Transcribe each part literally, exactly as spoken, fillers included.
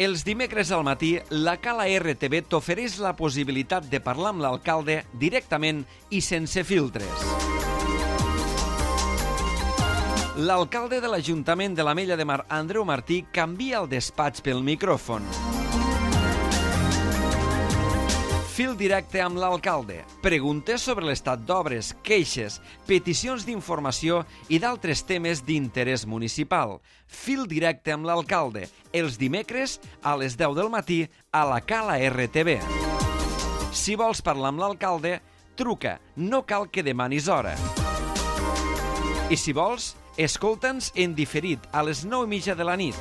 Els dimecres al matí, la Cala R T V t'ofereix la possibilitat de parlar amb l'alcalde directament i sense filtres. L'alcalde de l'Ajuntament de l'Ametlla de Mar, Andreu Martí, canvia el despatx pel micròfon. Fil directe amb l'alcalde. Preguntes sobre l'estat d'obres, queixes, peticions d'informació i d'altres temes d'interès municipal. Fil directe amb l'alcalde. Els dimecres a les deu del matí a la Cala R T V. Si vols parlar amb l'alcalde, truca. No cal que demanis hora. I si vols, escolta'ns en diferit a les nou i mitja de la nit.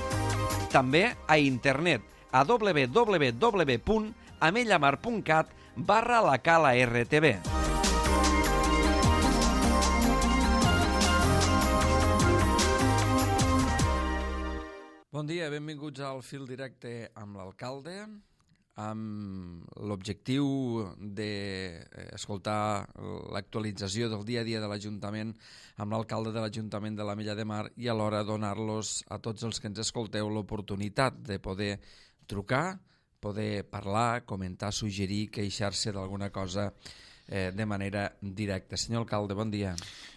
També a internet a w w w punt amellamar punt cat barra la Cala R T V. Bon dia, benvinguts al Fil Directe amb l'alcalde, amb l'objectiu d'escoltar l'actualització del dia a dia de l'Ajuntament amb l'alcalde de l'Ajuntament de l'Ametlla de Mar i alhora donar-los a tots els que ens escolteu l'oportunitat de poder trucar, poder parlar, comentar, suggerir, queixar-se d'alguna cosa eh, de manera directa. Senyor alcalde, bon dia.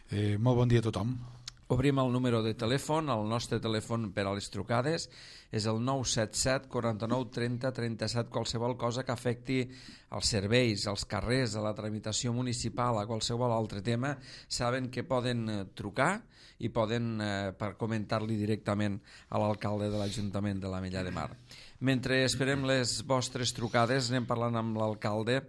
Eh, molt bon dia a tothom. Obrim el número de telèfon. El nostre telèfon per a les trucades és el nou set set, quaranta-nou, trenta, trenta-set. Qualsevol cosa que afecti els serveis, els carrers, a la tramitació municipal, a qualsevol altre tema, saben que poden trucar i poden eh, per comentar-li directament a l'alcalde de l'Ajuntament de l'Ametlla de Mar. Mentre esperem les vostres trucades, anem parlant amb l'alcalde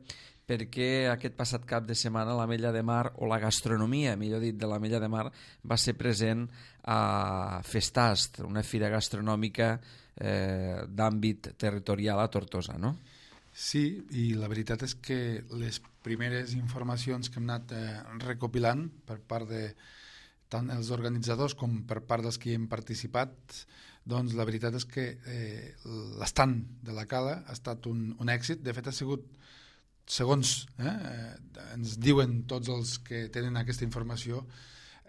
perquè aquest passat cap de setmana l'Ametlla de Mar, o la gastronomia, millor dit, de l'Ametlla de Mar, va ser present a Festast, una fira gastronòmica eh, d'àmbit territorial a Tortosa, no? Sí, i la veritat és que les primeres informacions que hem anat eh, recopilant per part de tant els organitzadors com per part dels que hi hem participat, doncs la veritat és que eh, l'estand de la Cala ha estat un, un èxit. De fet, ha sigut, segons eh, ens diuen tots els que tenen aquesta informació,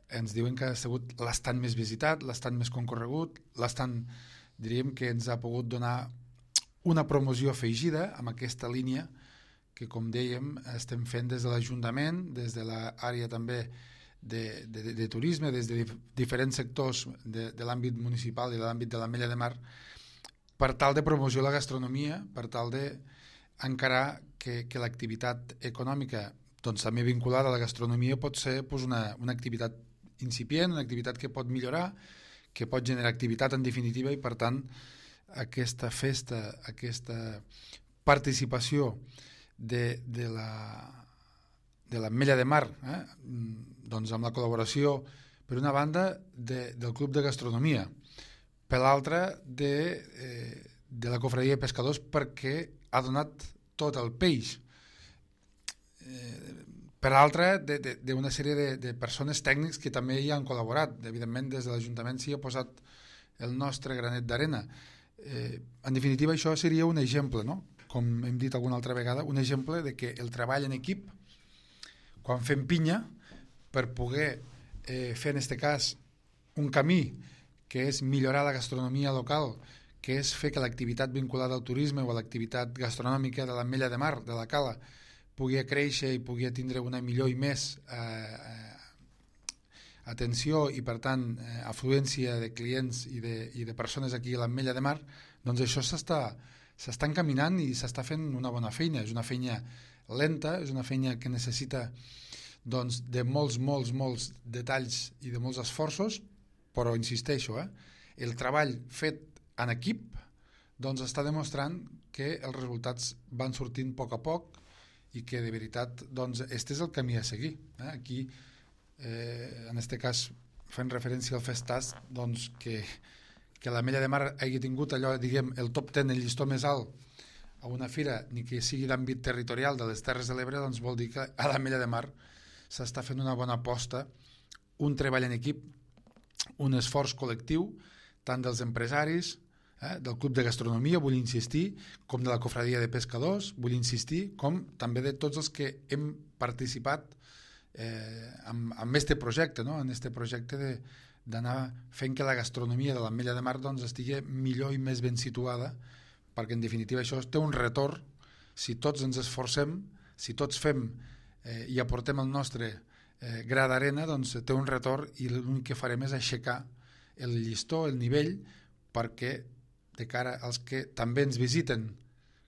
ens diuen que ha sigut l'estand més visitat, l'estand més concorregut, l'estand, diríem, que ens ha pogut donar una promoció afegida amb aquesta línia que, com dèiem, estem fent des de l'Ajuntament, des de l'àrea també De, de, de turisme, des de diferents sectors de, de l'àmbit municipal i de l'àmbit de l'Ametlla de Mar, per tal de promoció de la gastronomia, per tal d'encarar que, que l'activitat econòmica, doncs, també vinculada a la gastronomia, pot ser doncs, una, una activitat incipient, una activitat que pot millorar, que pot generar activitat en definitiva, i per tant aquesta festa, aquesta participació de, de la de l'Ametlla de Mar, eh? doncs amb la col·laboració, per una banda, de, del Club de Gastronomia, per l'altra, de, eh, de la Cofradia de Pescadors, perquè ha donat tot el peix. Eh, per l'altra, d'una sèrie de, de persones tècnics que també hi han col·laborat. Evidentment, des de l'Ajuntament s'hi ha posat el nostre granet d'arena. Eh, en definitiva, això seria un exemple, no? Com hem dit alguna altra vegada, un exemple de que el treball en equip, quan fem pinya, per poder eh, fer en aquest cas un camí que és millorar la gastronomia local, que és fer que l'activitat vinculada al turisme o a l'activitat gastronòmica de l'Ametlla de Mar, de la Cala, pugui créixer i pugui tindre una millor i més eh, atenció i, per tant, eh, afluència de clients i de, i de persones aquí a l'Ametlla de Mar, doncs això s'està s'està encaminant i s'està fent una bona feina. És una feina lenta, és una feina que necessita doncs, de molts, molts, molts detalls i de molts esforços, però insisteixo, eh, el treball fet en equip doncs, està demostrant que els resultats van sortint a poc a poc i que de veritat doncs, este és el camí a seguir. Eh? Aquí, eh, en aquest cas, fent referència al Festast, doncs, que, que l'Ametlla de Mar hagi tingut allò, diguem, el top ten, el llistó més alt a una fira, ni que sigui d'àmbit territorial de les Terres de l'Ebre, doncs vol dir que a l'Ametlla de Mar s'està fent una bona aposta, un treball en equip, un esforç col·lectiu, tant dels empresaris, eh, del Club de Gastronomia, vull insistir, com de la Cofradia de Pescadors, vull insistir, com també de tots els que hem participat eh, amb, amb este projecte, no? En este projecte de, d'anar fent que la gastronomia de l'Ametlla de Mar doncs, estigui millor i més ben situada perquè en definitiva això té un retorn si tots ens esforcem, si tots fem eh, i aportem el nostre eh, gra d'arena, doncs té un retorn i l'únic que farem és aixecar el llistó, el nivell, perquè de cara als que també ens visiten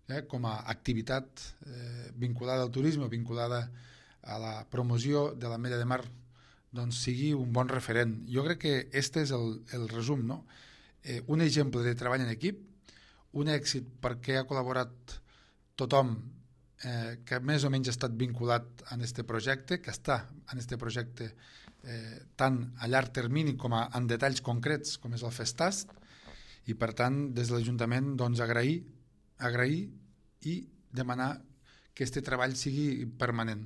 eh, com a activitat eh, vinculada al turisme, vinculada a la promoció de l'Ametlla de Mar, doncs sigui un bon referent. Jo crec que este és el, el resum, no? Eh, un exemple de treball en equip, un èxit perquè ha col·laborat tothom eh, que més o menys ha estat vinculat en este projecte, que està en este projecte eh, tant a llarg termini com a, en detalls concrets, com és el Festast, i per tant des de l'Ajuntament doncs, agrair, agrair i demanar que este treball sigui permanent.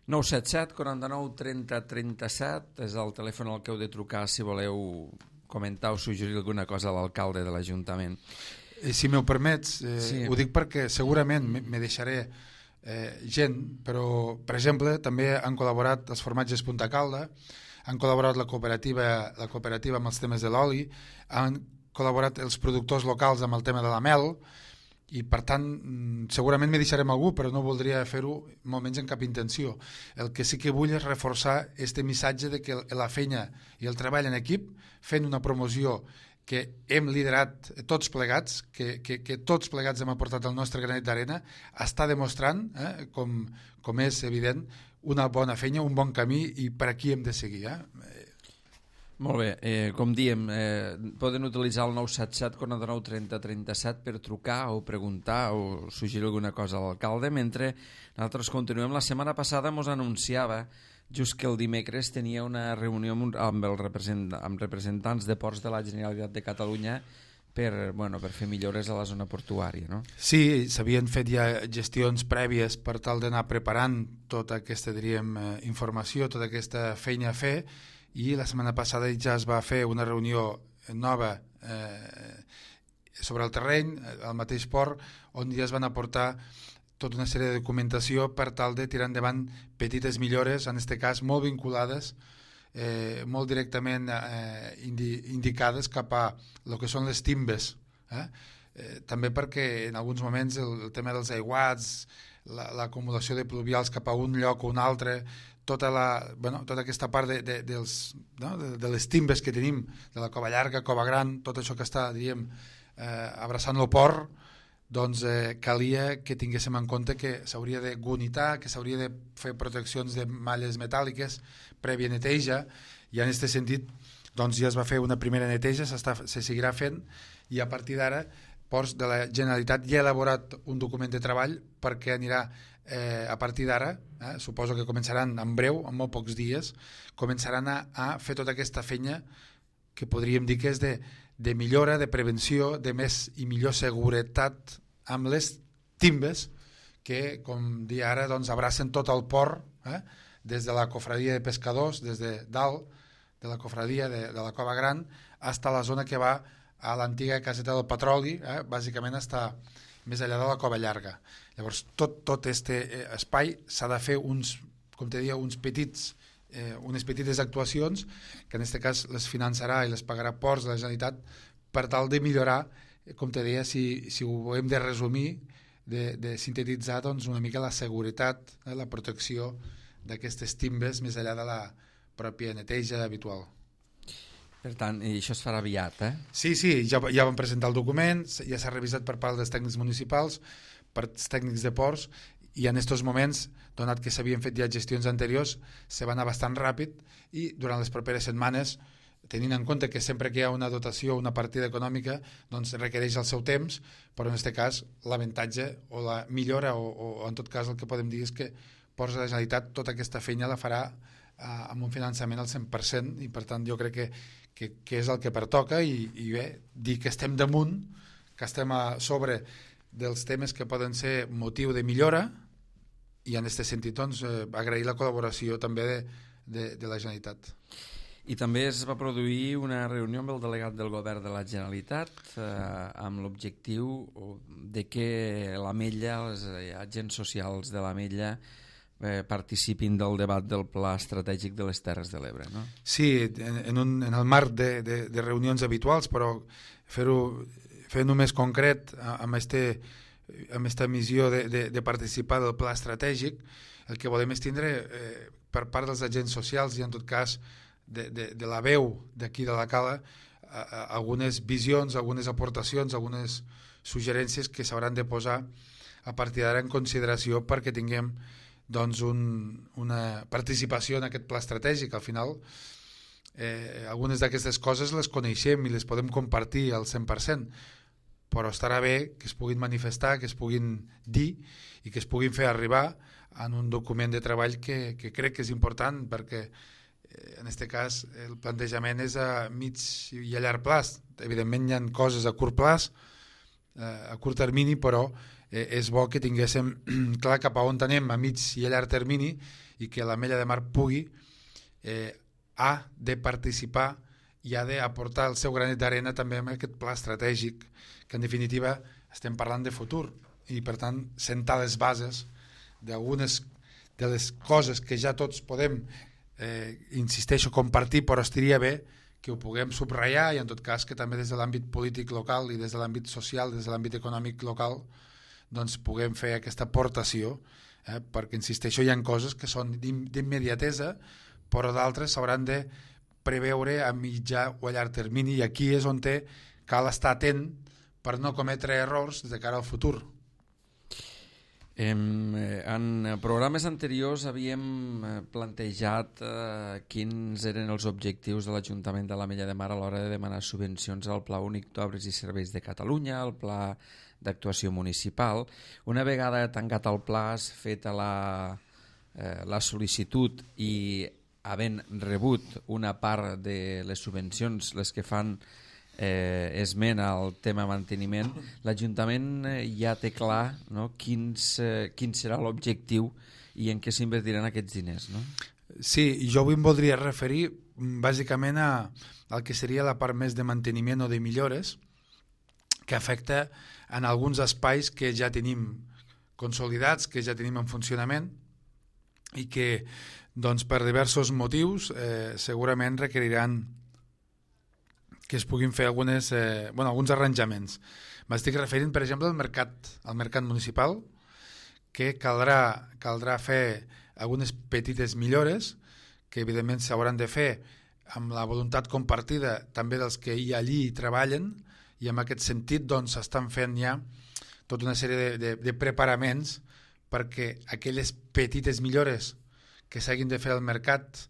nou set set, quaranta-nou, trenta, trenta-set és el telèfon al que heu de trucar si voleu comentar o suggerir alguna cosa a l'alcalde de l'Ajuntament. Eh, si m'ho permets, eh, sí. Ho dic perquè segurament me deixaré eh, gent, però per exemple també han col·laborat els formatges Punta Calda, han col·laborat la cooperativa, la cooperativa amb els temes de l'oli, han col·laborat els productors locals amb el tema de la mel, i per tant segurament me deixarem algú, però no voldria fer-ho molt menys en cap intenció. El que sí que vull és reforçar este missatge de que la feina i el treball en equip, fent una promoció que hem liderat tots plegats, que, que, que tots plegats hem aportat el nostre granet d'arena, està demostrant, eh, com, com és evident, una bona feina, un bon camí, i per aquí hem de seguir. Eh? Molt bé, eh, com diem, eh, poden utilitzar el nou set set, quaranta-nou, trenta, trenta-set per trucar o preguntar o suggerir alguna cosa a l'alcalde, mentre nosaltres continuem. La setmana passada ens anunciava just que el dimecres tenia una reunió amb, amb, el represent, amb representants de ports de la Generalitat de Catalunya per, bueno, per fer millores a la zona portuària, no? Sí, s'havien fet ja gestions prèvies per tal d'anar preparant tota aquesta, diríem, informació, tota aquesta feina a fer, i la setmana passada ja es va fer una reunió nova eh, sobre el terreny, al mateix port, on ja es van aportar tota una sèrie de documentació per tal de tirar endavant petites millores, en aquest cas molt vinculades, eh, molt directament eh, indi, indicades cap a el que són les timbes. Eh? Eh, també perquè en alguns moments el, el tema dels aiguats, l'acumulació la, de pluvials cap a un lloc o un altre, tota, la, bueno, tota aquesta part de, de, dels, no? de, de les timbes que tenim, de la Cova Llarga, Cova Gran, tot això que està, diríem, eh, abraçant el port, doncs eh, calia que tinguéssim en compte que s'hauria de gunitar, que s'hauria de fer proteccions de malles metàl·liques, prèvia neteja, i en aquest sentit doncs ja es va fer una primera neteja, se seguirà fent, i a partir d'ara Ports de la Generalitat ja ha elaborat un document de treball perquè anirà eh, a partir d'ara, eh, suposo que començaran en breu, en molt pocs dies, començaran a, a fer tota aquesta feina que podríem dir que és de, de millora, de prevenció, de més i millor seguretat amb les timbes que, com dia ara, doncs, abracen tot el port, eh, des de la cofradia de pescadors, des de dalt de la cofradia de, de la Cova Gran, fins a la zona que va a l'antiga caseta del petroli, eh, bàsicament està més enllà de la Cova Llarga. Llavors, tot, tot este espai s'ha de fer uns, com te deia, uns petits, eh, unes petites actuacions, que en aquest cas les finançarà i les pagarà Ports de la Generalitat, per tal de millorar, com te deia, si, si ho hem de resumir, de, de sintetitzar doncs, una mica la seguretat, eh, la protecció d'aquestes timbes més enllà de la pròpia neteja habitual. Per tant, i això es farà aviat, eh? Sí, sí, ja, ja vam presentar el document, ja s'ha revisat per part dels tècnics municipals, per tècnics de ports, i en aquests moments, donat que s'havien fet ja gestions anteriors, se va anar bastant ràpid, i durant les properes setmanes, tenint en compte que sempre que hi ha una dotació, una partida econòmica, doncs requereix el seu temps, però en aquest cas l'avantatge o la millora, o, o en tot cas el que podem dir és que Ports de la Generalitat tota aquesta feina la farà eh, amb un finançament al cent per cent, i per tant jo crec que Que, que és el que pertoca, i, i bé, dir que estem damunt, que estem a sobre dels temes que poden ser motiu de millora, i en aquest sentit doncs, eh, agrair la col·laboració també de, de, de la Generalitat. I també es va produir una reunió amb el delegat del govern de la Generalitat eh, amb l'objectiu de que l'Ametlla, els agents socials de l'Ametlla, Eh, participin del debat del Pla Estratègic de les Terres de l'Ebre, no? Sí, en, en, un, en el marc de, de, de reunions habituals, però fer-ho fent-ho més concret, amb este, amb esta missió de, de, de participar del pla estratègic, el que volem és tindre eh, per part dels agents socials i en tot cas de, de, de la veu d'aquí de la Cala a, a, algunes visions, algunes aportacions, algunes suggerències que s'hauran de posar a partir d'ara en consideració perquè tinguem doncs, un, una participació en aquest pla estratègic. Al final, eh, algunes d'aquestes coses les coneixem i les podem compartir al cent per cent, però estarà bé que es puguin manifestar, que es puguin dir i que es puguin fer arribar en un document de treball que, que crec que és important perquè eh, en aquest cas el plantejament és a mig i a llarg plaç. Evidentment hi ha coses a curt plaç, eh, a curt termini, però eh, és bo que tinguéssim clar cap a on anem a mig i a llarg termini i que l'Ametlla de Mar pugui eh, ha de participar i ha d'aportar el seu granet d'arena també amb aquest pla estratègic, que en definitiva estem parlant de futur i per tant sentar les bases d'algunes de les coses que ja tots podem, eh, insisteixo, compartir, però estaria bé que ho puguem subratllar i en tot cas que també des de l'àmbit polític local i des de l'àmbit social, des de l'àmbit econòmic local, doncs puguem fer aquesta aportació, eh, perquè insisteixo, hi ha coses que són d'immediatesa, però d'altres s'hauran de preveure a mitjà o a llarg termini i aquí és on té, cal estar atent per no cometre errors de cara al futur. En programes anteriors havíem plantejat eh, quins eren els objectius de l'Ajuntament de l'Ametlla de Mar a l'hora de demanar subvencions al Pla Únic d'Obres i Serveis de Catalunya, al Pla d'actuació municipal. Una vegada tancat el pla, feta la, eh, la sol·licitud i havent rebut una part de les subvencions, les que fan eh, esment al tema manteniment, l'Ajuntament ja té clar, no, quins, eh, quin serà l'objectiu i en què s'invertiran aquests diners, no? Sí, jo avui em voldria referir bàsicament a, al que seria la part més de manteniment o de millores que afecta en alguns espais que ja tenim consolidats, que ja tenim en funcionament i que doncs, per diversos motius eh, segurament requeriran que es puguin fer algunes, eh, bueno, alguns arranjaments. M'estic referint, per exemple, al mercat, al mercat municipal, que caldrà, caldrà fer algunes petites millores que evidentment s'hauran de fer amb la voluntat compartida també dels que hi allí treballen i en aquest sentit doncs s'estan fent ja tota una sèrie de, de, de preparaments perquè aquelles petites millores que s'hagin de fer al mercat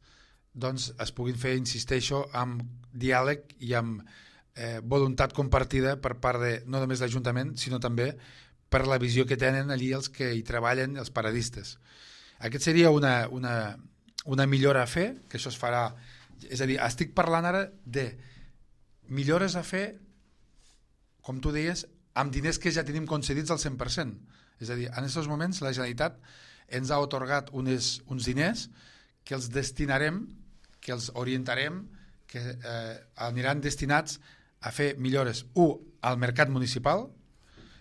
doncs es puguin fer, insisteixo, amb diàleg i amb eh, voluntat compartida per part de no només l'Ajuntament, sinó també per la visió que tenen allí els que hi treballen, els paradistes. Aquest seria una, una, una millora a fer, que això es farà, és a dir, estic parlant ara de millores a fer, com tu deies, amb diners que ja tenim concedits al cent per cent. És a dir, en aquests moments la Generalitat ens ha atorgat unes, uns diners que els destinarem, que els orientarem, que eh, aniran destinats a fer millores, un, al mercat municipal,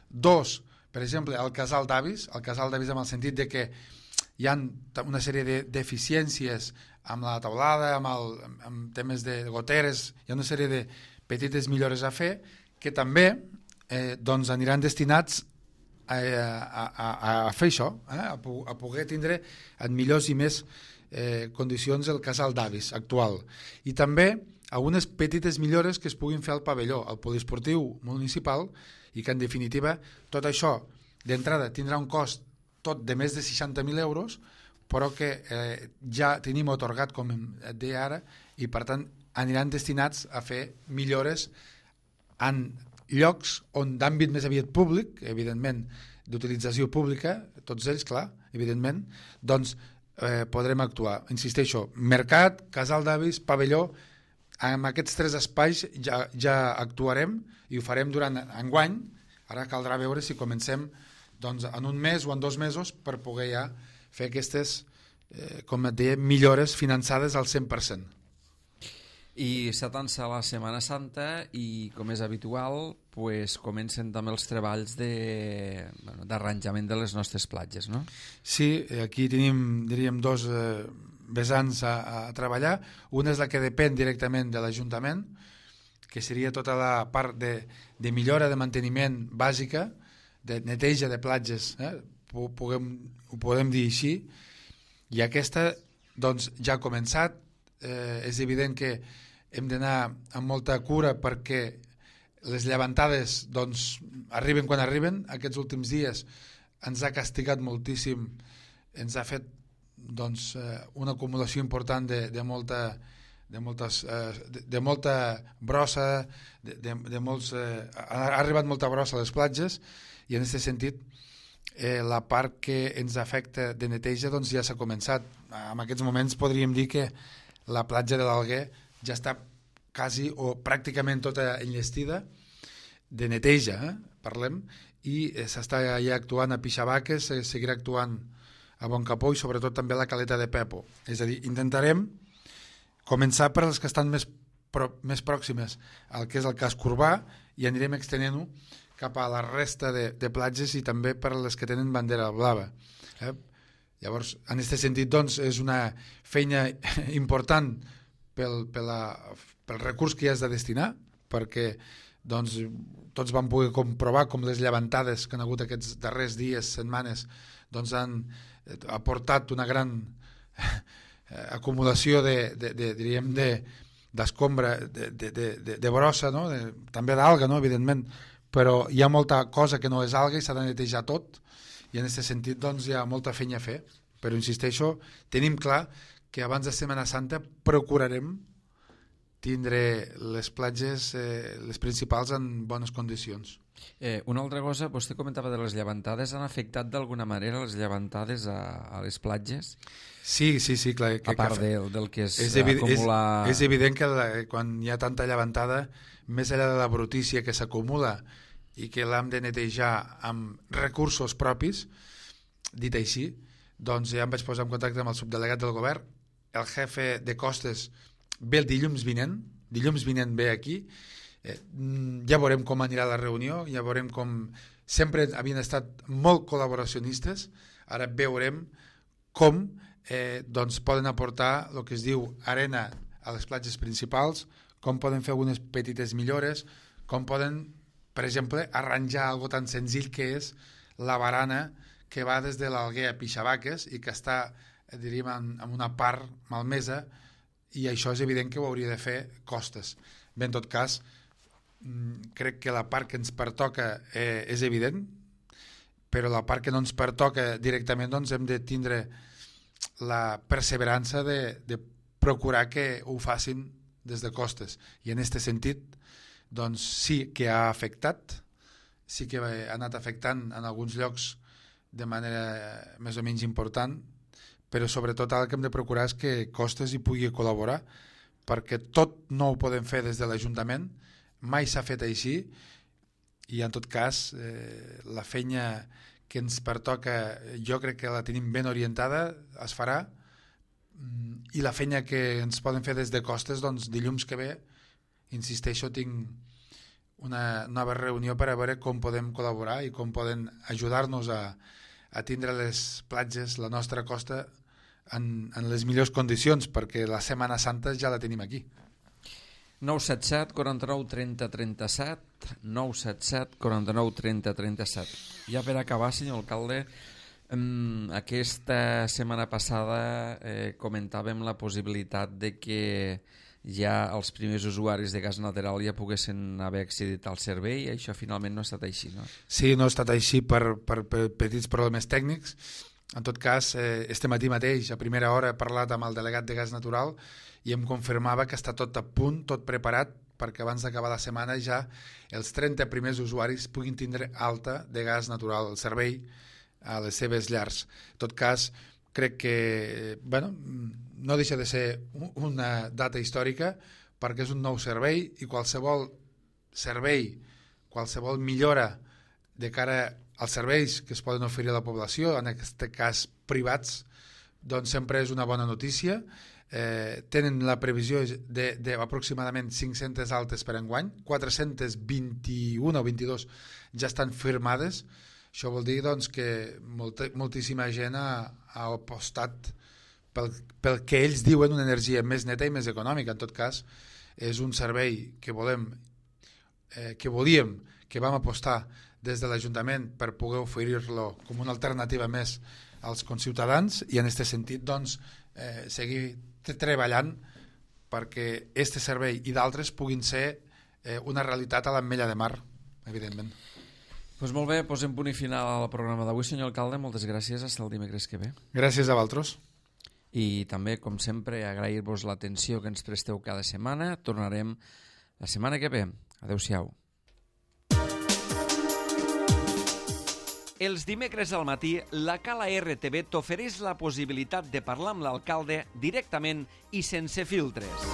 dos, per exemple, al casal d'avis, al casal d'avis en el sentit de que hi ha una sèrie de deficiències amb la taulada, amb, el, amb temes de goteres, hi ha una sèrie de petites millores a fer que també eh, doncs aniran destinats a, a, a, a fer això, eh? a, a poder tindre en millors i més eh, condicions el casal d'avis actual. I també algunes petites millores que es puguin fer al pavelló, al poliesportiu municipal, i que en definitiva tot això d'entrada tindrà un cost tot de més de seixanta mil euros, però que eh, ja tenim atorgat, com et deia ara, i per tant aniran destinats a fer millores en llocs on d'àmbit més aviat públic, evidentment d'utilització pública, tots ells, clar, evidentment, doncs eh, podrem actuar. Insisteixo, mercat, casal d'avis, pavelló, en aquests tres espais ja, ja actuarem i ho farem durant enguany. Ara caldrà veure si comencem doncs, en un mes o en dos mesos per poder ja fer aquestes, eh, com et deia, millores finançades al cent per cent. I s'atança la Setmana Santa i, com és habitual, pues, comencen també els treballs d'arranjament de, bueno, de les nostres platges, no? Sí, aquí tenim, diríem, dos eh, vessants a, a treballar. Una és la que depèn directament de l'Ajuntament, que seria tota la part de, de millora de manteniment bàsica, de neteja de platges, eh? Puguem, ho podem dir així, i aquesta doncs, ja ha començat. Eh, és evident que hem d'anar amb molta cura perquè les llevantades doncs, arriben quan arriben. Aquests últims dies ens ha castigat moltíssim, ens ha fet doncs, una acumulació important de, de molta de, moltes, de, de molta brossa, de, de, de molts, eh, ha arribat molta brossa a les platges, i en aquest sentit eh, la part que ens afecta de neteja doncs, ja s'ha començat. En aquests moments podríem dir que la platja de l'Alguer ja està quasi o pràcticament tota enllestida de neteja, eh? Parlem, i eh, s'està ja actuant a Pixabaques, eh, seguirà actuant a Boncapó i sobretot també a la Caleta de Pepo. És a dir, intentarem començar per les que estan més, pro, més pròximes al que és el casc urbà i anirem extenent-ho cap a la resta de, de platges i també per les que tenen bandera blava. Eh? Llavors, en aquest sentit, doncs, és una feina important pel, pel, la, pel recurs que hi has de destinar, perquè doncs, tots vam poder comprovar com les llevantades que han hagut aquests darrers dies, setmanes, doncs han aportat una gran acumulació de, de, de, diríem, de, d'escombra, de, de, de, de, de brossa, no? de, també d'alga, no? Evidentment, però hi ha molta cosa que no és alga i s'ha de netejar tot, i en aquest sentit doncs, hi ha molta feina a fer. Però insisteixo, tenim clar que abans de Setmana Santa procurarem tindre les platges, eh, les principals, en bones condicions. Eh, una altra cosa, vostè comentava de les llevantades, han afectat d'alguna manera les llevantades a, a les platges? Sí, sí, sí, clar. Que, a part que, del, del que és, és evident, acumular... És, és evident que la, quan hi ha tanta llevantada, més enllà de la brutícia que s'acumula i que l'hem de netejar amb recursos propis, dit així, doncs ja em vaig posar en contacte amb el subdelegat del govern, el jefe de costes ve el dilluns vinent, dilluns vinent ve aquí, eh, ja veurem com anirà la reunió, ja veurem com... Sempre havien estat molt col·laboracionistes, ara veurem com eh, doncs poden aportar el que es diu arena a les platges principals, com poden fer algunes petites millores, com poden, per exemple, arranjar algo tan senzill que és la barana que va des de l'Alguer a Pixabaques i que està, diríem, en, en una part malmesa, i això és evident que ho hauria de fer costes. Bé, en tot cas, crec que la part que ens pertoca eh, és evident, però la part que no ens pertoca directament doncs hem de tindre la perseverança de, de procurar que ho facin des de costes. I en aquest sentit, doncs sí que ha afectat, sí que ha anat afectant en alguns llocs de manera més o menys important, però sobretot el que hem de procurar és que Costes hi pugui col·laborar, perquè tot no ho podem fer des de l'Ajuntament, mai s'ha fet així, i en tot cas eh, la feina que ens pertoca jo crec que la tenim ben orientada, es farà, i la feina que ens poden fer des de Costes, doncs dilluns que ve, insisteixo, tinc una nova reunió per a veure com podem col·laborar i com poden ajudar-nos a a tindre les platges, la nostra costa, en, en les millors condicions, perquè la Setmana Santa ja la tenim aquí. nou set set, quaranta-nou, trenta, trenta-set, nou set set, quaranta-nou, trenta, trenta-set. Ja per acabar, senyor alcalde, um, aquesta setmana passada eh, comentàvem la possibilitat de que ja els primers usuaris de gas natural ja poguessin haver accedit al servei, i això finalment no ha estat així, no? Sí, no ha estat així per, per, per petits problemes tècnics. En tot cas, eh, este matí mateix, a primera hora, he parlat amb el delegat de gas natural i em confirmava que està tot a punt, tot preparat, perquè abans d'acabar la setmana ja els trenta primers usuaris puguin tindre alta de gas natural, el servei a les seves llars. En tot cas, crec que bueno, no deixa de ser una data històrica, perquè és un nou servei i qualsevol servei, qualsevol millora de cara als serveis que es poden oferir a la població, en aquest cas privats, doncs sempre és una bona notícia. Eh, tenen la previsió d'aproximadament cinc-centes altes per enguany, quatre-centes vint-i-una o vint-i-dos ja estan firmades. Això vol dir doncs, que molta, moltíssima gent ha, ha apostat pel, pel que ells diuen una energia més neta i més econòmica. En tot cas, és un servei que volem eh, que volíem, que vam apostar des de l'Ajuntament per poder oferir-lo com una alternativa més als conciutadans i en aquest sentit doncs, eh, seguir treballant perquè aquest servei i d'altres puguin ser eh, una realitat a l'Ametlla de Mar, evidentment. Pues molt bé, posem punt i final al programa d'avui, senyor alcalde. Moltes gràcies, fins el dimecres que ve. Gràcies a vosaltres. I també, com sempre, agrair-vos l'atenció que ens presteu cada setmana. Tornarem la setmana que ve. Adéu-siau. Els dimecres al matí, la Cala R T V t'ofereix la possibilitat de parlar amb l'alcalde directament i sense filtres.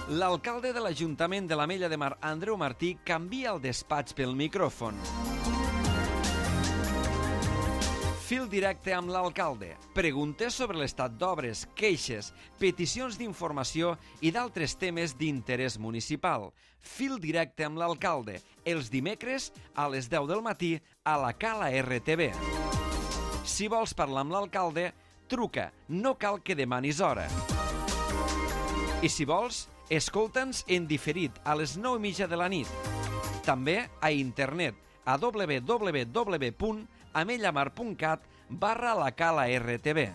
L'alcalde de l'Ajuntament de l'Ametlla de Mar, Andreu Martí, canvia el despatx pel micròfon. Fil directe amb l'alcalde. Preguntes sobre l'estat d'obres, queixes, peticions d'informació i d'altres temes d'interès municipal. Fil directe amb l'alcalde. Els dimecres a les deu del matí a la Cala R T V. Si vols parlar amb l'alcalde, truca. No cal que demanis hora. I si vols, escolta'ns en diferit a les nou i mitja de la nit. També a internet a w w w punt ametlamar punt cat barra la Cala R T V.